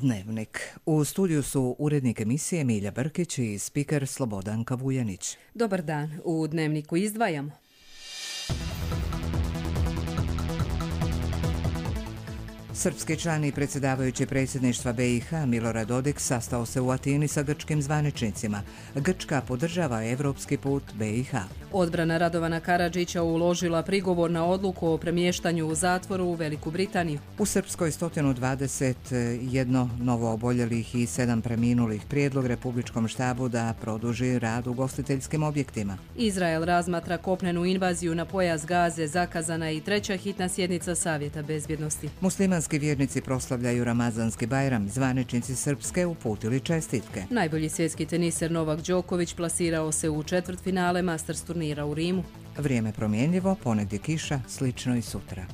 Dnevnik. U studiju su urednik emisije Milja Brkić i spiker Slobodanka Vujanić. Dobar dan. U Dnevniku izdvajamo. Srpski član i predsjedavajući predsjedništva BiH Milorad Dodik sastao se u Atini sa grčkim zvaničnicima. Grčka podržava evropski put BiH. Odbrana Radovana Karadžića uložila prigovor na odluku o premještanju u zatvoru u Veliku Britaniju. U Srpskoj 121 novo oboljelih i 7 preminulih. Prijedlog Republičkom štabu da produži rad u ugostiteljskim objektima. Izrael razmatra kopnenu invaziju na pojas Gaze, zakazana i treća hitna sjednica Savjeta bezbjednosti. Muslimanski vjernici proslavljaju Ramazanski Bajram, zvaničnici Srpske uputili čestitke. Najbolji svjetski teniser Novak Đoković plasirao se u četvrtfinale Masters turnira u Rimu. Vrijeme promjenljivo, ponegdje kiša, slično i sutra.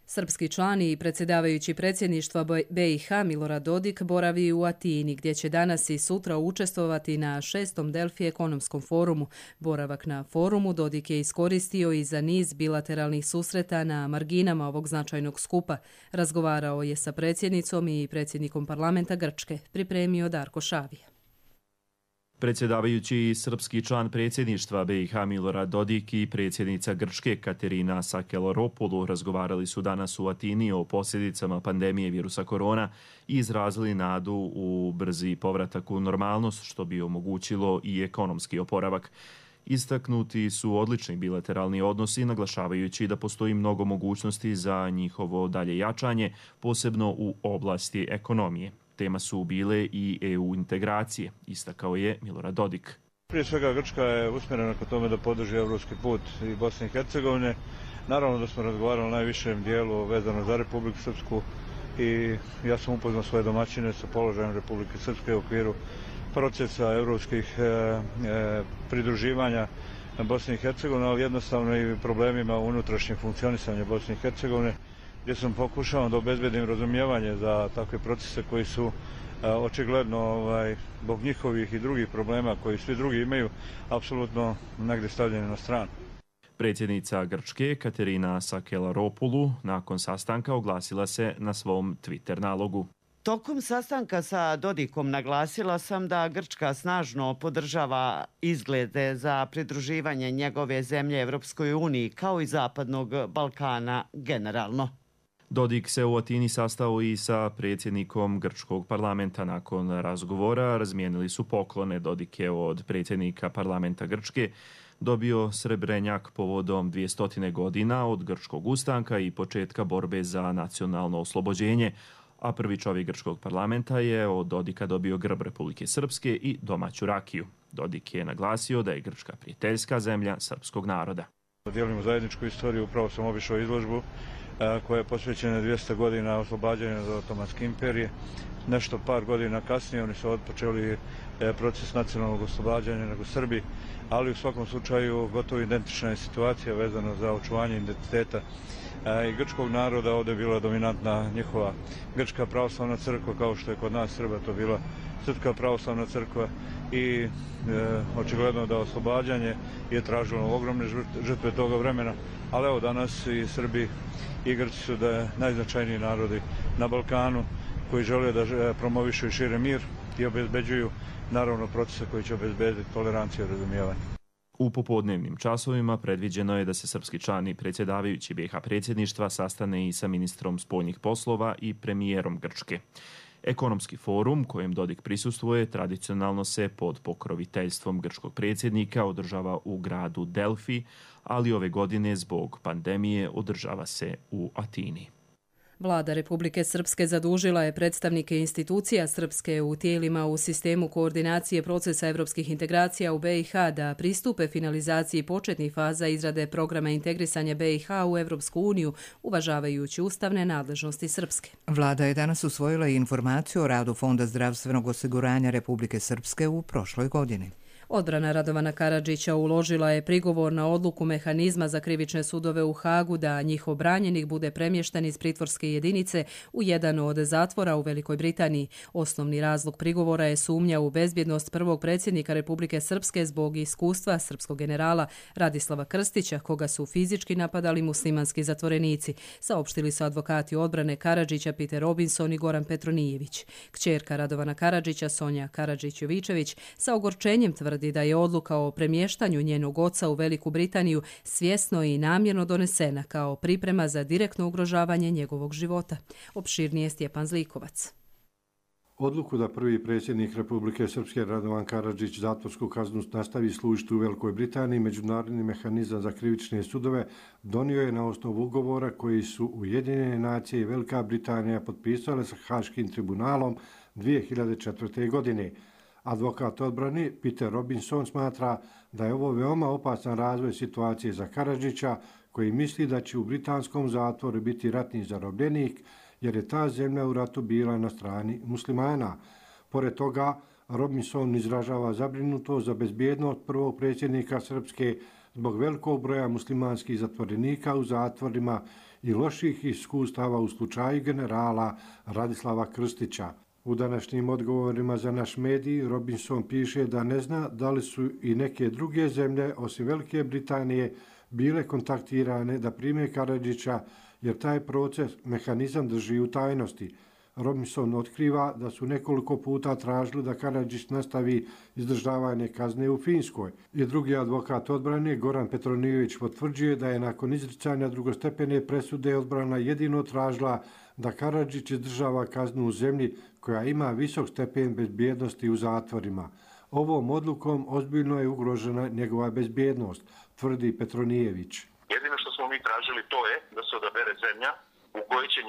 Srpski član i predsjedavajući predsjedništva BiH Milorad Dodik boravi u Atini, gdje će danas i sutra učestvovati na 6. Delfi ekonomskom forumu. Boravak na forumu Dodik je iskoristio i za niz bilateralnih susreta na marginama ovog značajnog skupa. Razgovarao je sa predsjednicom i predsjednikom parlamenta Grčke, pripremio Darko Šavija. Predsjedavajući srpski član predsjedništva BiH Milorad Dodik i predsjednica Grčke Katerina Sakellaropoulou razgovarali su danas u Atini o posljedicama pandemije virusa korona i izrazili nadu u brzi povratak u normalnost, što bi omogućilo i ekonomski oporavak. Istaknuti su odlični bilateralni odnosi, naglašavajući da postoji mnogo mogućnosti za njihovo dalje jačanje, posebno u oblasti ekonomije. Tema su bile i EU integracije, istakao je Milorad Dodik. Prije svega Grčka je usmjerena ka tome da podrži evropski put i Bosne i Hercegovine. Naravno da smo razgovarali o najvišem dijelu vezano za Republiku Srpsku i ja sam upoznao svoje domaćine sa položajem Republike Srpske u okviru procesa evropskih pridruživanja Bosne i Hercegovine, ali jednostavno i problemima unutrašnjeg funkcionisanja Bosne i Hercegovine, gdje sam pokušao da obezbedim razumijevanje za takve procese koji su očigledno zbog njihovih i drugih problema koji svi drugi imaju apsolutno negdje stavljeni na stranu. Predsjednica Grčke Katerina Sakellaropoulou nakon sastanka oglasila se na svom Twitter nalogu. Tokom sastanka sa Dodikom naglasila sam da Grčka snažno podržava izglede za pridruživanje njegove zemlje Evropskoj uniji kao i Zapadnog Balkana generalno. Dodik se u Atini sastao i sa predsjednikom grčkog parlamenta. Nakon razgovora razmijenili su poklone. Dodik je od predsjednika parlamenta Grčke dobio srebrenjak povodom 200 godina od grčkog ustanka i početka borbe za nacionalno oslobođenje, a prvi čovjek grčkog parlamenta je od Dodika dobio grb Republike Srpske i domaću rakiju. Dodik je naglasio da je Grčka prijateljska zemlja srpskog naroda. Dijelimo zajedničku istoriju, upravo sam obišao izložbu koja je posvećena 200 godina oslobađanja od Otomanske imperije. Nešto par godina kasnije oni su odpočeli proces nacionalnog oslobađanja nego Srbi, ali u svakom slučaju gotovo identična je situacija vezana za očuvanje identiteta i grčkog naroda. Ovdje je bila dominantna njihova grčka pravoslavna crkva, kao što je kod nas Srba to bila Srpska pravoslavna crkva i očigledno da oslobađanje je tražilo ogromne žrtve toga vremena, ali evo danas i Srbi i Grci su da najznačajniji narodi na Balkanu koji žele da promovišu i šire mir i obezbeđuju naravno procese koji će obezbediti toleranciju i razumijevanje. U popodnevnim časovima predviđeno je da se srpski član i predsjedavajući BiH predsjedništva sastane i sa ministrom spoljnih poslova i premijerom Grčke. Ekonomski forum kojem Dodik prisustvuje tradicionalno se pod pokroviteljstvom grčkog predsjednika održava u gradu Delfi, ali ove godine zbog pandemije održava se u Atini. Vlada Republike Srpske zadužila je predstavnike institucija Srpske u tijelima u sistemu koordinacije procesa evropskih integracija u BiH da pristupe finalizaciji početnih faza izrade programa integrisanja BiH u Evropsku uniju, uvažavajući ustavne nadležnosti Srpske. Vlada je danas usvojila i informaciju o radu Fonda zdravstvenog osiguranja Republike Srpske u prošloj godini. Odbrana Radovana Karadžića uložila je prigovor na odluku mehanizma za krivične sudove u Hagu da njihov branjenik bude premješten iz pritvorske jedinice u jedan od zatvora u Velikoj Britaniji. Osnovni razlog prigovora je sumnja u bezbjednost prvog predsjednika Republike Srpske zbog iskustva srpskog generala Radislava Krstića, koga su fizički napadali muslimanski zatvorenici, saopštili su advokati odbrane Karadžića Peter Robinson i Goran Petronijević. Kćerka Radovana Karadžića, Sonja Karadžić-Jovičević, sa ogorčenjem tvrdi da je odluka o premještanju njenog oca u Veliku Britaniju svjesno i namjerno donesena kao priprema za direktno ugrožavanje njegovog života. Opširnije Stjepan Zlikovac. Odluku da prvi predsjednik Republike Srpske Radovan Karadžić zatvorsku kaznu nastavi služiti u Velikoj Britaniji, Međunarodni mehanizam za krivične sudove donio je na osnovu ugovora koji su Ujedinjene nacije i Velika Britanija potpisale sa Haškim tribunalom 2004. godine. Advokat odbrane Peter Robinson smatra da je ovo veoma opasan razvoj situacije za Karadžića, koji misli da će u britanskom zatvoru biti ratni zarobljenik, jer je ta zemlja u ratu bila na strani muslimana. Pored toga, Robinson izražava zabrinutost za bezbjednost prvog predsjednika Srpske zbog velikog broja muslimanskih zatvorenika u zatvorima i loših iskustava u slučaju generala Radislava Krstića. U današnjim odgovorima za naš medij Robinson piše da ne zna da li su i neke druge zemlje, osim Velike Britanije, bile kontaktirane da prime Karadžića, jer taj proces mehanizam drži u tajnosti. Robinson otkriva da su nekoliko puta tražili da Karadžić nastavi izdržavanje kazne u Finskoj. I drugi advokat odbrane, Goran Petronijević, potvrđuje da je nakon izricanja drugostepene presude odbrana jedino tražila da Karadžić izdržava kaznu u zemlji koja ima visok stepen bezbjednosti u zatvorima. Ovom odlukom ozbiljno je ugrožena njegova bezbjednost, tvrdi Petronijević. Jedino što smo mi tražili to je da se odabere zemlja u kojoj će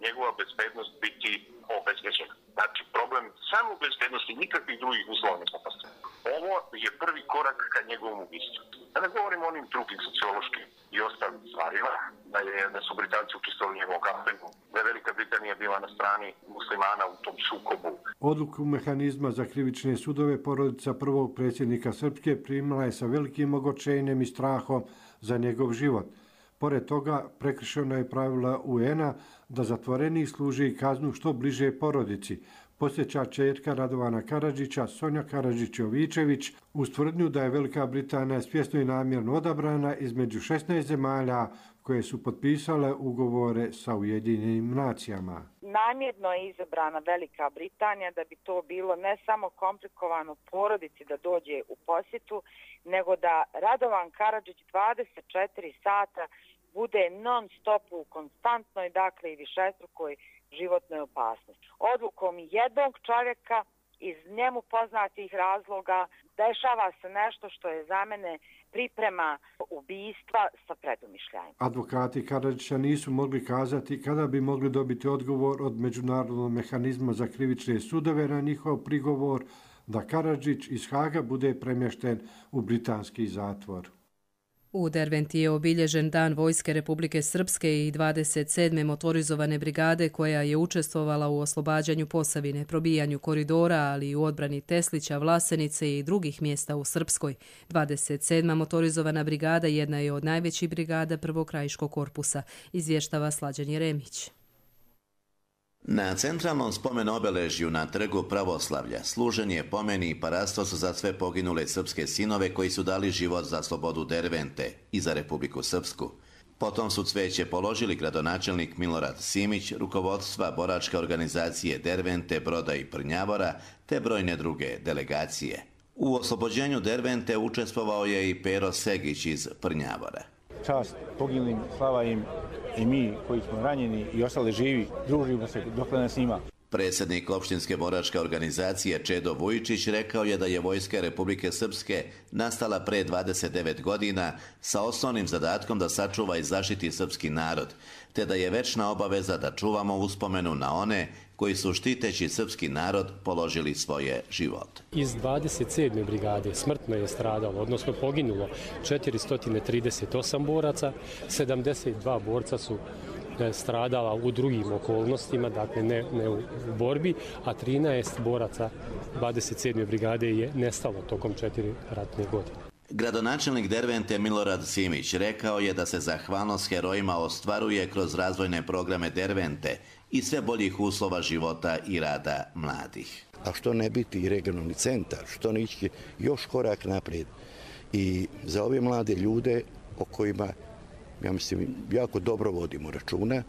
njegova bezbednost biti obezbeđena. Znači, problem samo bezbednosti, nikakvih drugih uslova ne postoji. Ovo je prvi korak ka njegovom ubistvu. Da ne govorimo o onim drugim sociološkim i ostalim stvarima, da su Britanci učestvovali u njegovom kampenu, da je Velika Britanija bila na strani muslimana u tom sukobu. Odluku mehanizma za krivične sudove porodica prvog predsjednika Srpske primila je sa velikim ogorčenjem i strahom za njegov život. Pored toga, prekršeno je pravila UN-a da zatvorenik služi kaznu što bliže porodici. Posjeća čerka Radovana Karadžića, Sonja Karadžić-Jovičević, uz tvrdnju da je Velika Britanija svjesno i namjerno odabrana između 16 zemalja koje su potpisale ugovore sa Ujedinjenim nacijama. Namjerno je izabrana Velika Britanija da bi to bilo ne samo komplikovano porodici da dođe u posjetu, nego da Radovan Karadžić 24 sata bude non stop u konstantnoj, dakle i višestrukoj životnoj opasnosti. Odlukom jednog čovjeka iz njemu poznatih razloga dešava se nešto što je za mene priprema ubistva sa predumišljajem. Advokati Karadžića nisu mogli kazati kada bi mogli dobiti odgovor od Međunarodnog mehanizma za krivične sudove na njihov prigovor da Karadžić iz Haga bude premješten u britanski zatvor. U Derventi je obilježen Dan Vojske Republike Srpske i 27. motorizovane brigade koja je učestvovala u oslobađanju Posavine, probijanju koridora, ali i u odbrani Teslića, Vlasenice i drugih mjesta u Srpskoj. 27. motorizovana brigada jedna je od najvećih brigada Prvog krajiškog korpusa, izvještava Slađan Jeremić. Na centralnom spomen obeležju na trgu Pravoslavlja služen je pomen i parastos za sve poginule srpske sinove koji su dali život za slobodu Dervente i za Republiku Srpsku. Potom su cveće položili gradonačelnik Milorad Simić, rukovodstva boračke organizacije Dervente, Broda i Prnjavora, te brojne druge delegacije. U oslobođenju Dervente učestvovao je i Pero Segić iz Prnjavora. Čast poginulim, slava im, i mi koji smo ranjeni i ostali živi, družimo se dok nas ima. Predsjednik opštinske boračke organizacije Čedo Vujičić rekao je da je Vojska Republike Srpske nastala pre 29 godina sa osnovnim zadatkom da sačuva i zaštiti srpski narod, te da je večna obaveza da čuvamo uspomenu na one koji su štiteći srpski narod položili svoje živote. Iz 27. brigade smrtno je stradalo, odnosno poginulo 438 boraca, 72 borca su stradala u drugim okolnostima, dakle ne u borbi, a 13 boraca 27. brigade je nestalo tokom 4 ratne godine. Gradonačelnik Dervente Milorad Simić rekao je da se zahvalnost herojima ostvaruje kroz razvojne programe Dervente i sve boljih uslova života i rada mladih. A što ne biti i regionalni centar, što ne ići još korak naprijed. I za ove mlade ljude o kojima, ja mislim, jako dobro vodimo računa,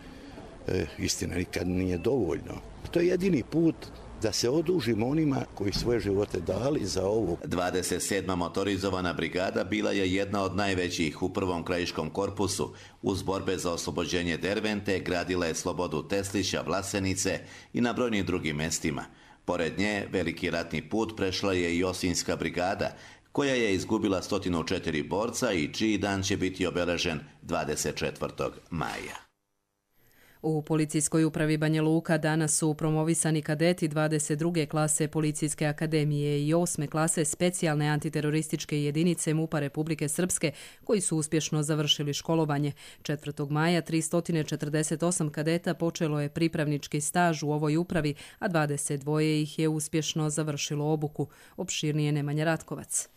istina nikad nije dovoljno. To je jedini put da se odužimo onima koji svoje živote dali za ovo. 27. motorizovana brigada bila je jedna od najvećih u prvom krajiškom korpusu. Uz borbe za oslobođenje Dervente gradila je Slobodu Teslića, Vlasenice i na brojnim drugim mestima. Pored nje, veliki ratni put prešla je i Osinjska brigada, koja je izgubila 104 borca i čiji dan će biti obeležen 24. maja. U Policijskoj upravi Banja Luka danas su promovisani kadeti 22. klase Policijske akademije i 8. klase specijalne antiterorističke jedinice MUP-a Republike Srpske koji su uspješno završili školovanje. 4. maja 348 kadeta počelo je pripravnički staž u ovoj upravi, a 22 ih je uspješno završilo obuku. Opširnije Nemanja Ratkovac.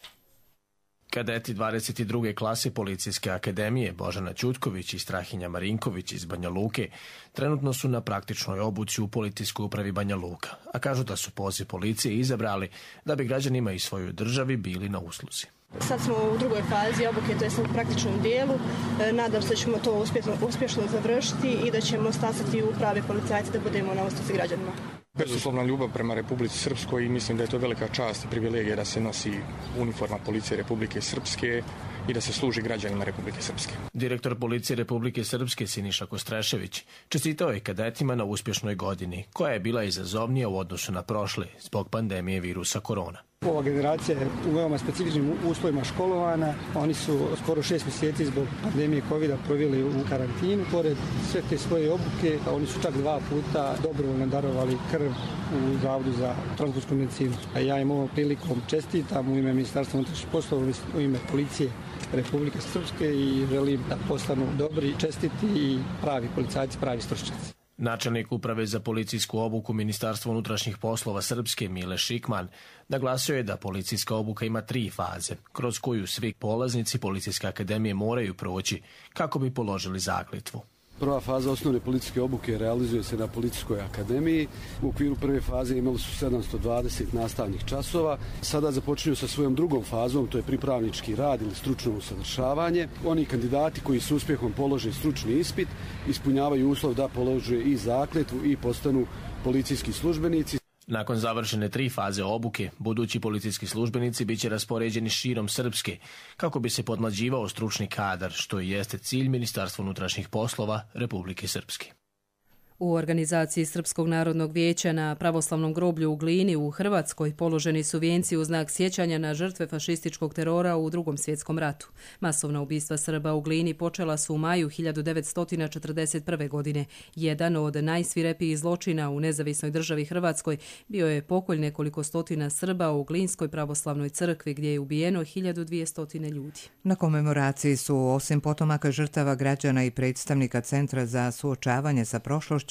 Kadeti 22. klase Policijske akademije Božana Ćutković i Strahinja Marinković iz Banja Luke trenutno su na praktičnoj obuci u Policijskoj upravi Banja Luka, a kažu da su poziv policije izabrali da bi građanima i svojoj državi bili na usluzi. Sad smo u drugoj fazi obuke, to je u praktičnom dijelu. Nadam se da ćemo to uspješno završiti i da ćemo stasati u pravi policajci da budemo na usluzi građanima. Bezuslovna ljubav prema Republici Srpskoj i mislim da je to velika čast i privilegija da se nosi uniforma policije Republike Srpske i da se služi građanima Republike Srpske. Direktor policije Republike Srpske Siniša Kostrešević čestitao je kadetima na uspješnoj godini, koja je bila izazovnija u odnosu na prošle zbog pandemije virusa korona. Ova generacija je u veoma specifičnim uslovima školovana. Oni su skoro 6 mjeseci zbog pandemije COVID-a proveli u karantinu. Pored sve te svoje obuke, oni su čak 2 puta dobrovoljno darovali krv u Zavodu za transportsku medicinu. A ja im ovom prilikom čestitam u ime Ministarstva unutrašnjih poslova, u ime Policije Republike Srpske i želim da postanu dobri, čestiti i pravi policajci, pravi stručnjaci. Načelnik uprave za policijsku obuku Ministarstva unutrašnjih poslova Srpske Mile Šikman naglasio je da policijska obuka ima 3 faze, kroz koju svi polaznici Policijske akademije moraju proći kako bi položili zakletvu. Prva faza osnovne policijske obuke realizuje se na Policijskoj akademiji. U okviru prve faze imali su 720 nastavnih časova. Sada započinju sa svojom drugom fazom, to je pripravnički rad ili stručno usavršavanje. Oni kandidati koji su uspjehom polože stručni ispit ispunjavaju uslov da polože i zakletvu i postanu policijski službenici. Nakon završene 3 faze obuke, budući policijski službenici bit će raspoređeni širom Srpske, kako bi se podmlađivao stručni kadar, što i jeste cilj Ministarstva unutrašnjih poslova Republike Srpske. U organizaciji Srpskog narodnog vijeća na pravoslavnom groblju u Glini u Hrvatskoj položeni su vijenci u znak sjećanja na žrtve fašističkog terora u Drugom svjetskom ratu. Masovna ubistva Srba u Glini počela su u maju 1941. godine. Jedan od najsvirepijih zločina u nezavisnoj državi Hrvatskoj bio je pokolj nekoliko stotina Srba u Glinskoj pravoslavnoj crkvi gdje je ubijeno 1200 ljudi. Na komemoraciji su osim potomaka žrtava građana i predstavnika Centra za suočavanje sa prošlošću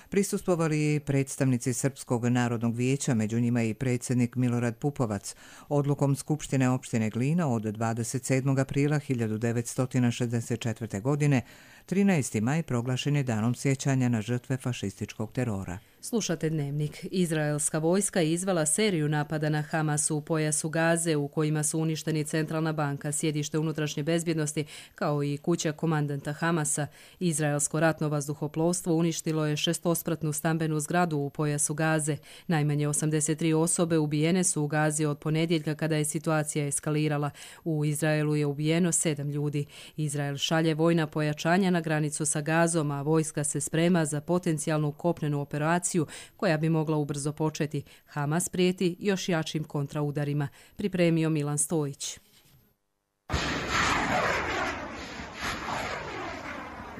prisustvovali i predstavnici Srpskog narodnog vijeća, među njima i predsjednik Milorad Pupovac. Odlukom Skupštine opštine Glina od 27. aprila 1964. godine 13. maj proglašen je danom sjećanja na žrtve fašističkog terora. Slušate Dnevnik. Izraelska vojska je izvela seriju napada na Hamas u pojasu Gaze u kojima su uništeni Centralna banka, sjedište unutrašnje bezbjednosti, kao i kuća komandanta Hamasa. Izraelsko ratno vazduhoplovstvo uništilo je 6-spratnu stambenu zgradu u pojasu Gaze. Najmanje 83 osobe ubijene su u Gazi od ponedjeljka kada je situacija eskalirala. U Izraelu je ubijeno 7 ljudi. Izrael šalje vojna pojačanja na granicu sa Gazom, a vojska se sprema za potencijalnu kopnenu operaciju koja bi mogla ubrzo početi. Hamas prijeti još jačim kontraudarima. Pripremio Milan Stojić.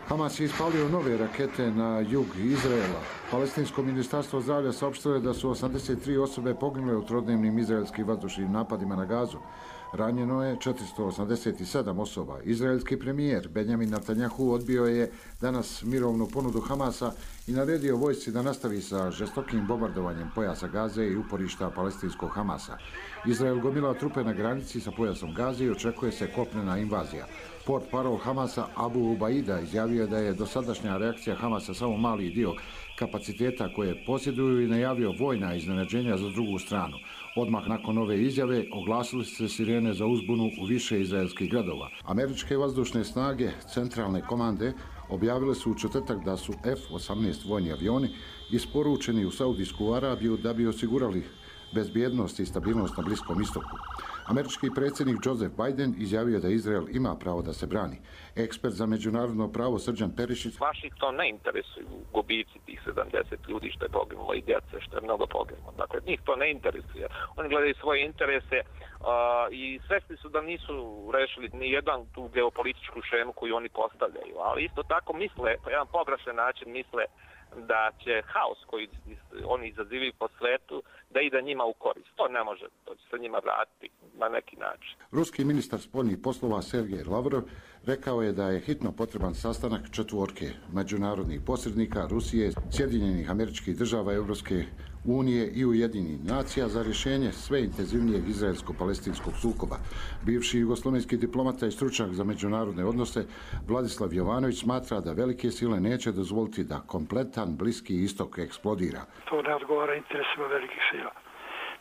Hamas je ispalio nove rakete na jug Izraela. Palestinsko ministarstvo zdravlja saopštilo je da su 83 osobe poginule u trodnevnim izraelskim vazdušnim napadima na Gazu. Ranjeno je 487 osoba. Izraelski premijer Benjamin Netanjahu odbio je danas mirovnu ponudu Hamasa i naredio vojsci da nastavi sa žestokim bombardovanjem pojasa Gaze i uporišta palestinskog Hamasa. Izrael gomila trupe na granici sa pojasom Gaze i očekuje se kopnena invazija. Port parol Hamasa Abu Ubaida izjavio da je dosadašnja reakcija Hamasa samo mali dio kapaciteta koje posjeduju i najavio vojna iznenađenja za drugu stranu. Odmah nakon ove izjave oglasili se sirene za uzbunu u više izraelskih gradova. Američke vazdušne snage centralne komande objavile su u četvrtak da su F-18 vojni avioni isporučeni u Saudijsku Arabiju da bi osigurali bezbjednost i stabilnost na Bliskom istoku. Američki predsjednik Joseph Biden izjavio da Izrael ima pravo da se brani. Ekspert za međunarodno pravo Srđan Perišić: Washington ne interesuju gubici tih 70 ljudi što je poginulo i djece što je mnogo poginulo. Dakle, njih to ne interesuje. Oni gledaju svoje interese i svesni su da nisu rešili ni jedan tu geopolitičku šemu koju oni postavljaju. Ali isto tako misle, po jedan pogrešan način misle da će haos koji oni izazivaju po svetu da ide njima u korist. To ne može, to će se njima vratiti na neki način. Ruski ministar spoljnih poslova Sergej Lavrov rekao je da je hitno potreban sastanak četvorke međunarodnih posrednika Rusije, Sjedinjenih Američkih Država, Europske unije i Ujedinjenih nacija za rješenje sve intenzivnijeg izraelsko-palestinskog sukoba. Bivši jugoslovenski diplomata i stručnjak za međunarodne odnose Vladislav Jovanović smatra da velike sile neće dozvoliti da kompletan Bliski istok eksplodira. To ne odgovara interesima velikih sila.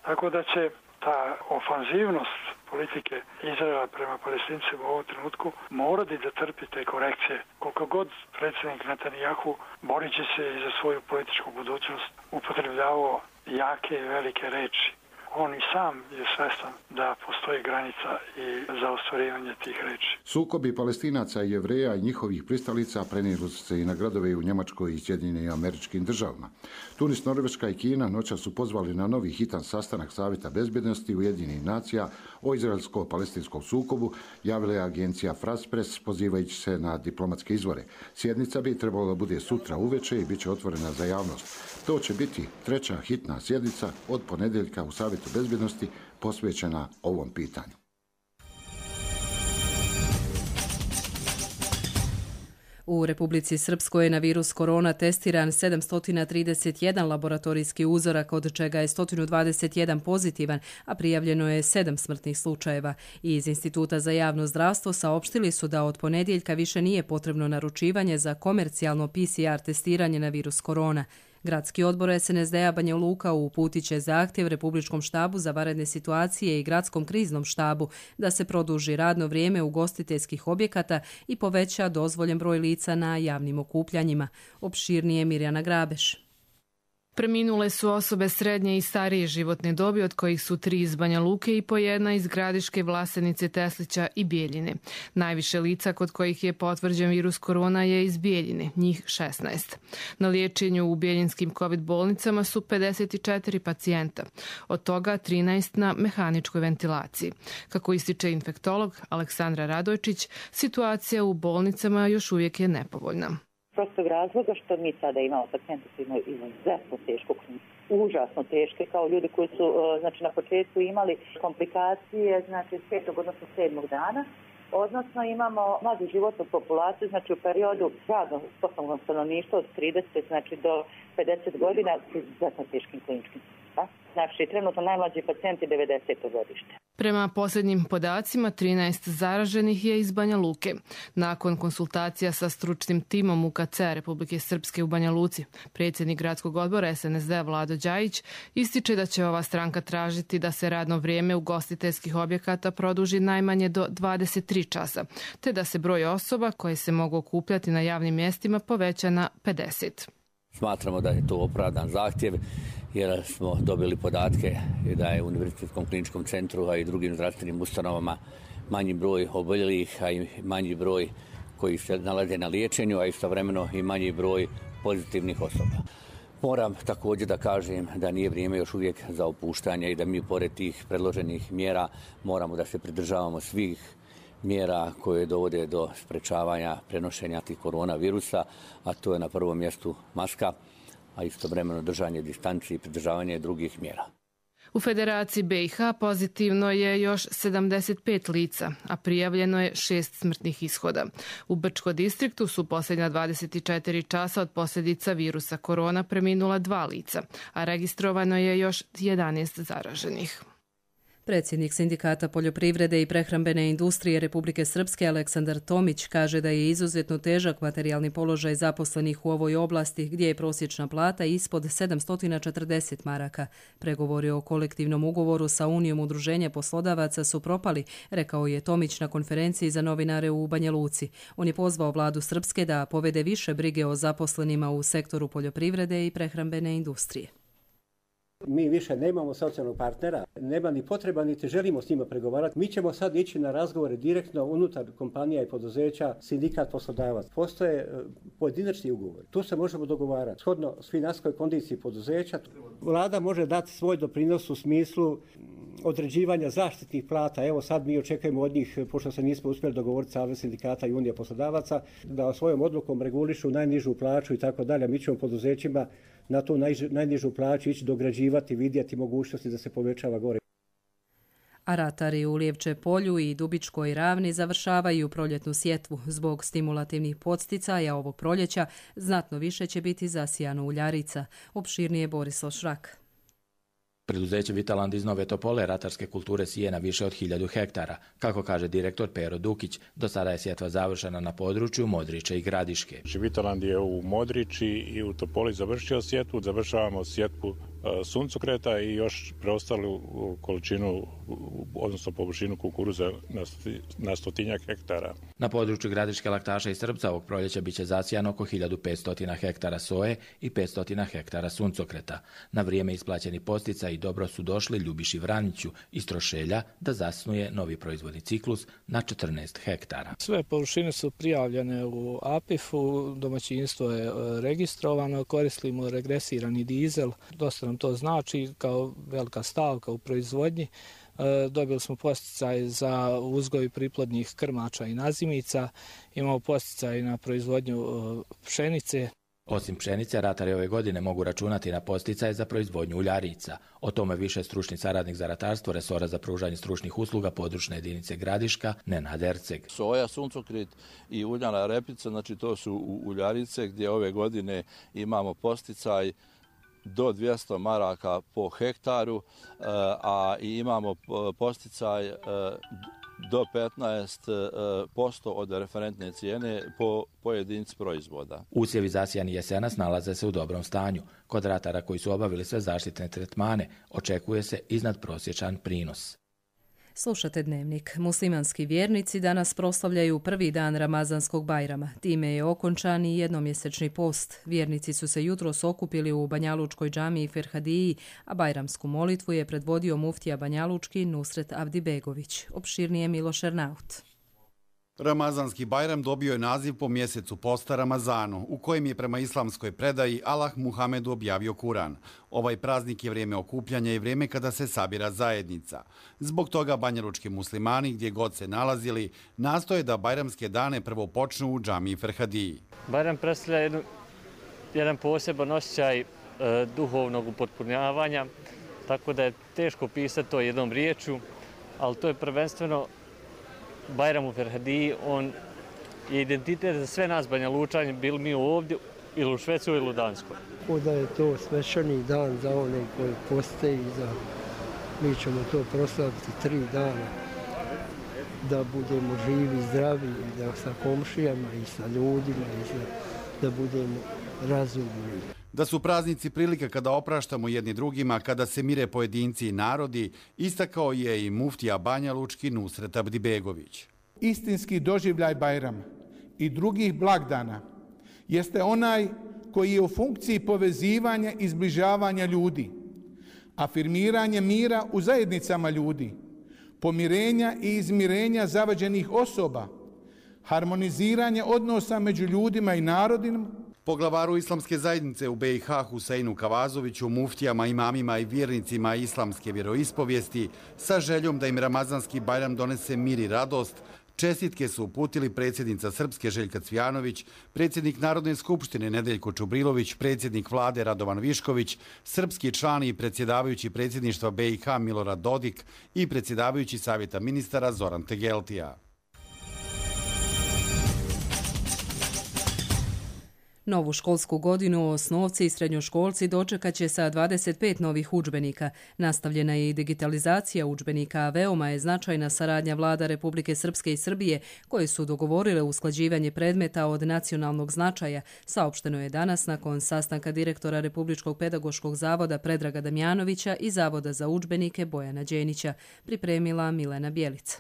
Tako da će ta ofanzivnost politike Izraela prema Palestincima u ovom trenutku morati da trpi te korekcije. Koliko god predsjednik Netanjahu borit će se i za svoju političku budućnost upotrebljavao jake i velike reči. On i sam je svestan da postoji granica i za ostvarivanje tih reči. Sukobi Palestinaca i Jevreja i njihovih pristalica prenijeli su se i na gradove u Njemačkoj i Sjedinjenim Američkim Državama. Tunis, Norveška i Kina noćas su pozvali na novi hitan sastanak Savjeta bezbjednosti Ujedinjenih nacija o izraelsko-palestinskom sukobu, javila je agencija France Press pozivajući se na diplomatske izvore. Sjednica bi trebalo da bude sutra uveče i bit će otvorena za javnost. To će biti treća hitna sjednica od ponedjeljka u Savjetu bezbjednosti posvećena ovom pitanju. U Republici Srpskoj je na virus korona testiran 731 laboratorijski uzorak, od čega je 121 pozitivan, a prijavljeno je 7 smrtnih slučajeva. Iz Instituta za javno zdravstvo saopštili su da od ponedjeljka više nije potrebno naručivanje za komercijalno PCR testiranje na virus korona. Gradski odbor SNSD-a Banja Luka uputit će zahtjev Republičkom štabu za vanredne situacije i Gradskom kriznom štabu da se produži radno vrijeme ugostiteljskih objekata i poveća dozvoljen broj lica na javnim okupljanjima. Opširnije Mirjana Grabeš. Preminule su osobe srednje i starije životne dobi, od kojih su 3 iz Banja Luke i po 1 iz Gradiške, Vlasenice, Teslića i Bijeljine. Najviše lica kod kojih je potvrđen virus korona je iz Bijeljine, njih 16. Na liječenju u bijeljinskim COVID bolnicama su 54 pacijenta, od toga 13 na mehaničkoj ventilaciji. Kako ističe infektolog Aleksandra Radojčić, situacija u bolnicama još uvijek je nepovoljna. Prostog razloga što mi sada imamo pacijente koji imaju izuzetno tešku kliniku, užasno teške, kao ljudi koji su na početku imali komplikacije, s 5. odnosno 7. dana. Odnosno imamo mladu životnu populaciju, u periodu radnog sposobnog stanovništva od 30 do 50 godina s izuzetno teškim kliničkim. Trenutno najmlađi pacijenti 90. godište. Prema posljednjim podacima, 13 zaraženih je iz Banja Luke. Nakon konsultacija sa stručnim timom UKC Republike Srpske u Banja Luci, predsjednik Gradskog odbora SNSD Vlado Đajić ističe da će ova stranka tražiti da se radno vrijeme ugostiteljskih objekata produži najmanje do 23 časa, te da se broj osoba koje se mogu okupljati na javnim mjestima poveća na 50. Smatramo da je to opravdan zahtjev, jer smo dobili podatke da je u Univerzitetskom kliničkom centru, a i drugim zdravstvenim ustanovama manji broj oboljelih, a i manji broj koji se nalaze na liječenju, a istovremeno i manji broj pozitivnih osoba. Moram također da kažem da nije vrijeme još uvijek za opuštanje i da mi pored tih predloženih mjera moramo da se pridržavamo svih mjera koje dovode do sprečavanja prenošenja tih koronavirusa, a to je na prvom mjestu maska, a istovremeno držanje distanci i pridržavanje drugih mjera. U Federaciji BiH pozitivno je još 75 lica, a prijavljeno je 6 smrtnih ishoda. U Brčko distriktu su posljednja 24 časa od posljedica virusa korona preminula 2 lica, a registrovano je još 11 zaraženih. Predsjednik Sindikata poljoprivrede i prehrambene industrije Republike Srpske Aleksandar Tomić kaže da je izuzetno težak materijalni položaj zaposlenih u ovoj oblasti gdje je prosječna plata ispod 740 maraka. Pregovori o kolektivnom ugovoru sa Unijom udruženja poslodavaca su propali, rekao je Tomić na konferenciji za novinare u Banja Luci. On je pozvao vladu Srpske da povede više brige o zaposlenima u sektoru poljoprivrede i prehrambene industrije. Mi više nemamo socijalnog partnera, nema ni potreba, niti želimo s njima pregovarati. Mi ćemo sad ići na razgovore direktno unutar kompanija i poduzeća, sindikat poslodavac. Postoje pojedinačni ugovor. Tu se možemo dogovarati. Shodno financijskoj kondiciji poduzeća, vlada može dati svoj doprinos u smislu određivanja zaštitnih plata. Evo sad mi očekujemo od njih, pošto se nismo uspjeli dogovoriti Savez sindikata i Unija poslodavaca, da svojom odlukom regulišu najnižu plaću i tako dalje. Mi ćemo poduzećima na tu najnižu plaću ići dograđivati, vidjeti mogućnosti da se povećava gore. A ratari u Lijevče polju i Dubičkoj ravni završavaju proljetnu sjetvu. Zbog stimulativnih podsticaja ovog proljeća znatno više će biti zasijano uljarica. Opširnije Borislav Šrak. Preduzeće Vitaland iz Nove Topole ratarske kulture sije na više od 1000 hektara. Kako kaže direktor Pero Dukić, do sada je sjetva završena na području Modriče i Gradiške. Vitaland je u Modriči i u Topoli završio sjetvu, završavamo sjetvu suncokreta i još preostalu količinu, odnosno površinu kukuruza na 100 hektara. Na području Gradiške, Laktaša i Srpca ovog proljeća biće zasijano oko 1500 hektara soje i 500 hektara suncokreta. Na vrijeme isplaćeni posticaji dobro su došli Ljubiši Vraniću iz Trošelja da zasnuje novi proizvodni ciklus na 14 hektara. Sve površine su prijavljene u APIF-u, domaćinstvo je registrovano, koristimo regresirani dizel, dosta nam to znači kao velika stavka u proizvodnji. Dobili smo posticaj za uzgoj priplodnih krmača i nazimica, imamo posticaj na proizvodnju pšenice. Osim pšenice, ratari ove godine mogu računati na posticaje za proizvodnju uljarica. O tome više stručni saradnik za ratarstvo resora za pružanje stručnih usluga područne jedinice Gradiška, Nenad Erceg. Soja, suncokret i uljana repica, znači to su uljarice gdje ove godine imamo posticaj do 200 maraka po hektaru, a i imamo posticaj do 15% od referentne cijene po jedinici proizvoda. Usjevi zasijani jesenas nalaze se u dobrom stanju. Kod ratara koji su obavili sve zaštitne tretmane očekuje se iznadprosječan prinos. Slušate Dnevnik. Muslimanski vjernici danas proslavljaju prvi dan Ramazanskog Bajrama. Time je okončan i jednomjesečni post. Vjernici su se jutros okupili u Banjalučkoj džamiji Ferhadiji, a bajramsku molitvu je predvodio muftija Banjalučki Nusret Avdibegović. Opširnije Miloš Ernaut. Ramazanski Bajram dobio je naziv po mjesecu posta Ramazanu, u kojem je prema islamskoj predaji Allah Muhamedu objavio Kuran. Ovaj praznik je vrijeme okupljanja i vrijeme kada se sabira zajednica. Zbog toga banjalučki muslimani, gdje god se nalazili, nastoje da bajramske dane prvo počnu u džamiji Ferhadiji. Bajram predstavlja jedan poseban osjećaj duhovnog upotpunjavanja, tako da je teško pisati to jednom riječju, ali to je prvenstveno Bajram u Ferhadiji, on je identitet za sve nas Banjalučani, bili mi ovdje ili u Švedskoj ili u Danskoj. Da je to svečani dan za one koji poste i mi ćemo to proslaviti 3 dana, da budemo živi, zdravi, i da sa komšijama i sa ljudima i da budemo razumni. Da su praznici prilika kada opraštamo jedni drugima, kada se mire pojedinci i narodi, istakao je i muftija Banjalučki Nusret Avdibegović. Istinski doživljaj Bajrama i drugih blagdana jeste onaj koji je u funkciji povezivanja i zbližavanja ljudi, afirmiranje mira u zajednicama ljudi, pomirenja i izmirenja zavađenih osoba, harmoniziranje odnosa među ljudima i narodima. Poglavaru islamske zajednice u BiH Huseinu Kavazoviću, muftijama, imamima i vjernicima islamske vjeroispovijesti, sa željom da im Ramazanski Bajram donese mir i radost, Čestitke su uputili predsjednica Srpske Željka Cvijanović, predsjednik Narodne skupštine Nedeljko Čubrilović, predsjednik vlade Radovan Višković, srpski član i predsjedavajući predsjedništva BiH Milorad Dodik i predsjedavajući savjeta ministara Zoran Tegeltija. Novu školsku godinu osnovci i srednjoškolci dočekat će sa 25 novih udžbenika. Nastavljena je i digitalizacija udžbenika, a veoma je značajna saradnja vlada Republike Srpske i Srbije, koje su dogovorile usklađivanje predmeta od nacionalnog značaja, saopšteno je danas nakon sastanka direktora Republičkog pedagoškog zavoda Predraga Damjanovića i Zavoda za udžbenike Bojana Đenića, pripremila Milena Bjelica.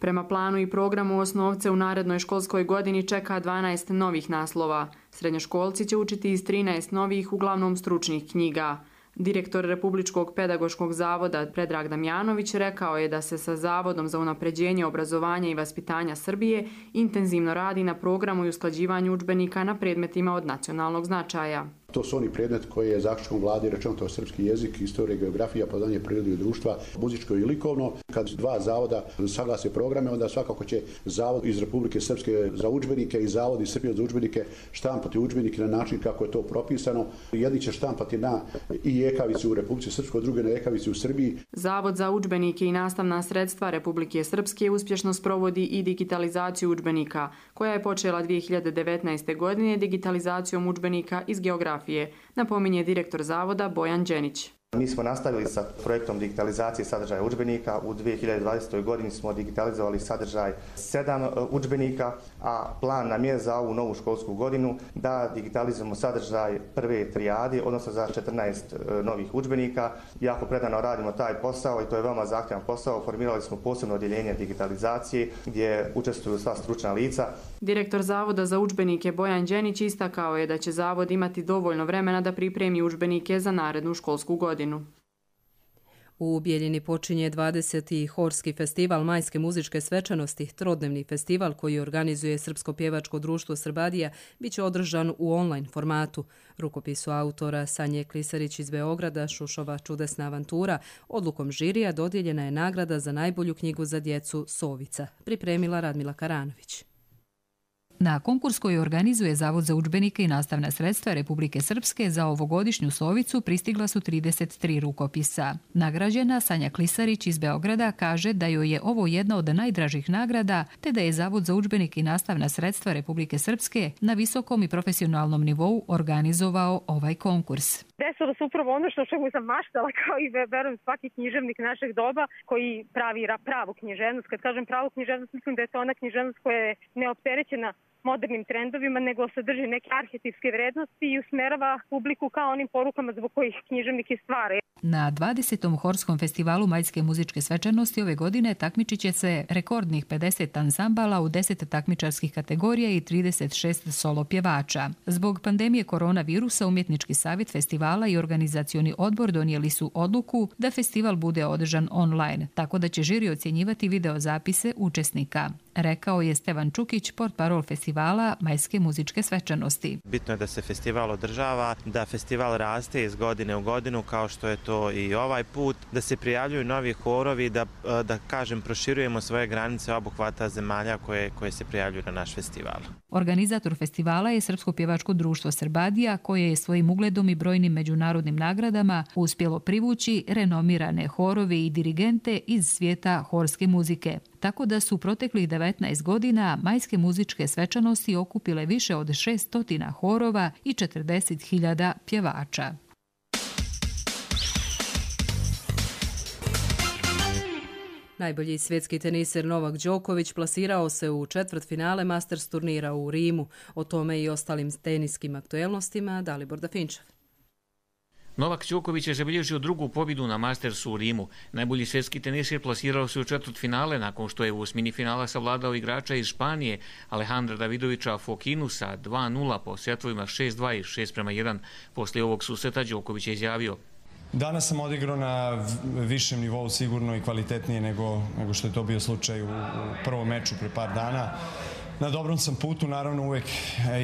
Prema planu i programu osnovce u narednoj školskoj godini čeka 12 novih naslova. Srednjoškolci će učiti iz 13 novih, uglavnom stručnih knjiga. Direktor Republičkog pedagoškog zavoda Predrag Damjanović rekao je da se sa Zavodom za unapređenje obrazovanja i vaspitanja Srbije intenzivno radi na programu i usklađivanju udžbenika na predmetima od nacionalnog značaja. To su oni predmet koji je zaključkom vlade rečeno, to je srpski jezik, istorija, geografija, poznavanje prirode i društva, muzičko i likovno. Kad dva zavoda saglase programe, onda svakako će Zavod iz Republike Srpske za udžbenike i Zavod iz Srbije za udžbenike štampati udžbenike na način kako je to propisano. Jedni će štampati na i ekavici u Republici Srpskoj, druge na ekavici u Srbiji. Zavod za udžbenike i nastavna sredstva Republike Srpske uspješno sprovodi i digitalizaciju udžbenika, koja je počela 2019. godine digitalizacijom udžbenika iz geografije, napominje direktor zavoda Bojan Đenić. Mi smo nastavili sa projektom digitalizacije sadržaja udžbenika. U 2020. godini smo digitalizovali sadržaj 7 udžbenika, a plan nam je za ovu novu školsku godinu da digitalizujemo sadržaj prve trijade, odnosno za 14 novih udžbenika. Jako predano radimo taj posao i to je veoma zahtjevan posao. Formirali smo posebno odjeljenje digitalizacije gdje učestvuju sva stručna lica. Direktor Zavoda za udžbenike Bojan Đenić istakao je da će Zavod imati dovoljno vremena da pripremi udžbenike za narednu školsku godinu. U Bijeljini počinje 20. Horski festival majske muzičke svečanosti. Trodnevni festival koji organizuje Srpsko pjevačko društvo Srbadija biće održan u online formatu. Rukopisu autora Sanje Klisarić iz Beograda Šušova čudesna avantura odlukom žirija dodijeljena je nagrada za najbolju knjigu za djecu Sovica, pripremila Radmila Karanović. Na konkurs koji organizuje Zavod za udžbenike i nastavna sredstva Republike Srpske za ovogodišnju Sovicu pristigla su 33 rukopisa. Nagrađena Sanja Klisarić iz Beograda kaže da joj je ovo jedna od najdražih nagrada, te da je Zavod za udžbenike i nastavna sredstva Republike Srpske na visokom i profesionalnom nivou organizovao ovaj konkurs. Desilo se upravo ono što čemu sam maštala, kao i verujem svaki književnik našeg doba koji pravi pravu književnost. Kad kažem pravu književnost, mislim da je to ona književnost koja je neopterećena modernim trendovima, nego sadrži neke arhetipske vrednosti i usmerava publiku kao onim porukama zbog kojih književnik i stvara. Na 20. Horskom festivalu majske muzičke svečanosti ove godine takmičit će se rekordnih 50 ansambala u 10 takmičarskih kategorija i 36 solo pjevača. Zbog pandemije koronavirusa, Umjetnički savjet festivala i organizacioni odbor donijeli su odluku da festival bude održan online, tako da će žiri ocjenjivati videozapise učesnika. Rekao je Stevan Čukić, portparol festivala majske muzičke svečanosti. Bitno je da se festival održava, da festival raste iz godine u godinu, kao što je to i ovaj put, da se prijavljuju novi horovi, da kažem, proširujemo svoje granice obuhvata zemalja koje se prijavljuju na naš festival. Organizator festivala je Srpsko pjevačko društvo Srbadija, koje je svojim ugledom i brojnim međunarodnim nagradama uspjelo privući renomirane horove i dirigente iz svijeta horske muzike. Tako da su proteklih 19 godina majske muzičke svečanosti okupile više od 600 horova i 40.000 pjevača. Najbolji svjetski teniser Novak Đoković plasirao se u četvrtfinale Masters turnira u Rimu. O tome i ostalim teniskim aktuelnostima Dalibor Dafinčev. Novak Đoković je zabilježio drugu pobjedu na Mastersu u Rimu. Najbolji svjetski teniser plasirao se u četvrtfinale nakon što je u osmini finala savladao igrača iz Španije Alejandra Davidovića Fokinu sa 2-0 po setovima 6-2 i 6-1. Poslije ovog susreta Đoković je izjavio: Danas sam odigrao na višem nivou sigurno i kvalitetnije nego što je to bio slučaj u prvom meču pre par dana. Na dobrom sam putu, naravno uvek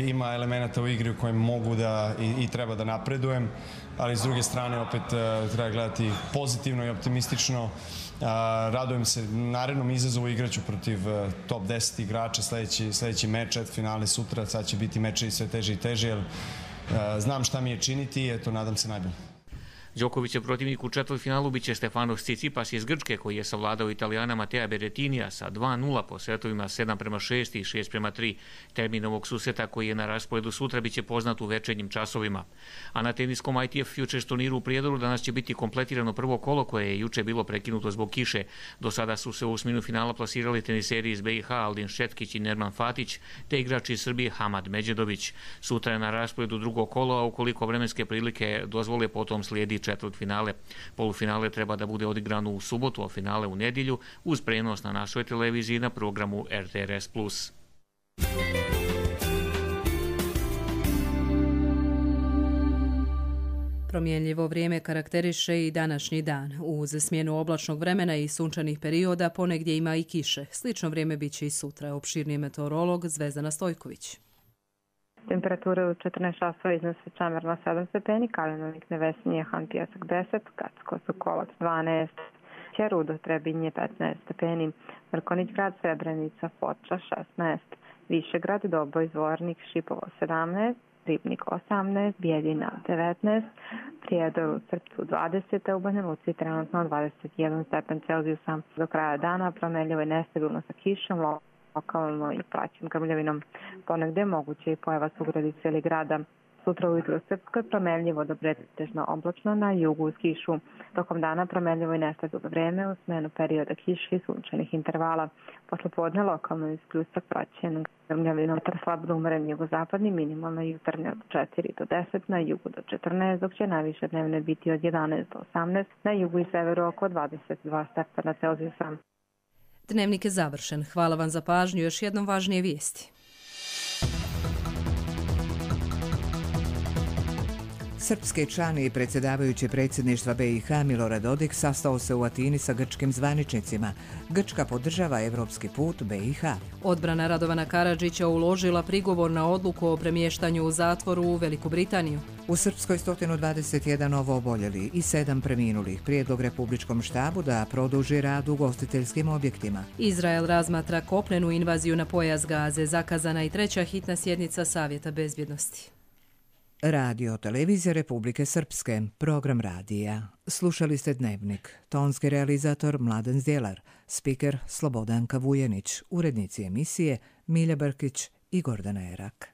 ima elemenata u igri u kojem mogu da i treba da napredujem. ali s druge strane opet treba gledati pozitivno i optimistično. Radujem se narednom izazovu, igraću protiv top 10 igrača, sledeći meč, finale sutra, sad će biti meče i sve teže i teže, jer znam šta mi je činiti i eto, nadam se najbolje. Đokovićev protivnik u četvrtfinalu biće Stefanos Tsitsipas iz Grčke, koji je savladao Italijana Matea Berrettinija sa 2:0 po setovima 7:6 i 6:3. Termin ovog susreta, koji je na rasporedu sutra, biće poznat u večernjim časovima. A na teniskom ITF Futures turniru u Prijedoru danas će biti kompletirano prvo kolo, koje je juče bilo prekinuto zbog kiše. Do sada su se u osminu finala plasirali teniseri iz BiH Aldin Šetkić i Nerman Fatić, te igrač iz Srbije Hamad Međedović. Sutra je na rasporedu drugo kolo, a ukoliko vremenske prilike dozvole, potom slijedi četvrtfinale. Polufinale treba da bude odigrano u subotu, a finale u nedjelju, uz prenos na našoj televiziji na programu RTRS+. Promjenljivo vrijeme karakteriše i današnji dan. Uz smjenu oblačnog vremena i sunčanih perioda ponegdje ima i kiše. Slično vrijeme bit će i sutra. Opširni meteorolog Zvezdana Stojković. Temperature u 14 časova iznose Čamerna 7 stepeni, Kalinovik Nevesinje, Han Pijesak 10, Gacko Sokolac 12, Ćerudo Trebinje 15 stepeni, Mrkonić grad Srebrenica, Foča 16, Višegrad, Doboj, Zvornik, Šipovo 17, Ribnik 18, Bijeljina 19, Prijedor u Srpcu 20, u Banja Luci trenutno 21 stepen Celzijusa. Do kraja dana promjenljivo i nestabilno sa kišom, lokalno i praćim grmljavinom. Ponegdje moguće i pojava sugradice ili grada. Sutra ujutro u Srpskoj promjenljivo do pretežno oblačno, na jugu uz kišu. Tokom dana promjenljivo i nestabilno vrijeme u smjenu perioda kiše i sunčanih intervala. Posle podne lokalno iz pljusak praćen grmljavinom, slab do umeren jugozapadni, minimalna jutarnja od 4 do 10, na jugu do 14, dok će najviše dnevne biti od 11 do 18, na jugu i severu oko 22 stepena Celzijusa. Dnevnik je završen. Hvala vam za pažnju. Još jednom važnije vijesti. Srpski član i predsjedavajući predsjedništva BiH Milorad Dodik sastao se u Atini sa grčkim zvaničnicima. Grčka podržava evropski put BiH. Odbrana Radovana Karadžića uložila prigovor na odluku o premještanju u zatvoru u Veliku Britaniju. U Srpskoj 121 novooboljeli i 7 preminulih. Prijedlog Republičkom štabu da produži rad u ugostiteljskim objektima. Izrael razmatra kopnenu invaziju na pojas Gaze. Zakazana i treća hitna sjednica Savjeta bezbjednosti. Radio Televizija Republike Srpske, program radija. Slušali ste Dnevnik. Tonski realizator Mladen Zdjelar, spiker Slobodanka Vujenić, urednici emisije Milja Brkić i Gordana Erak.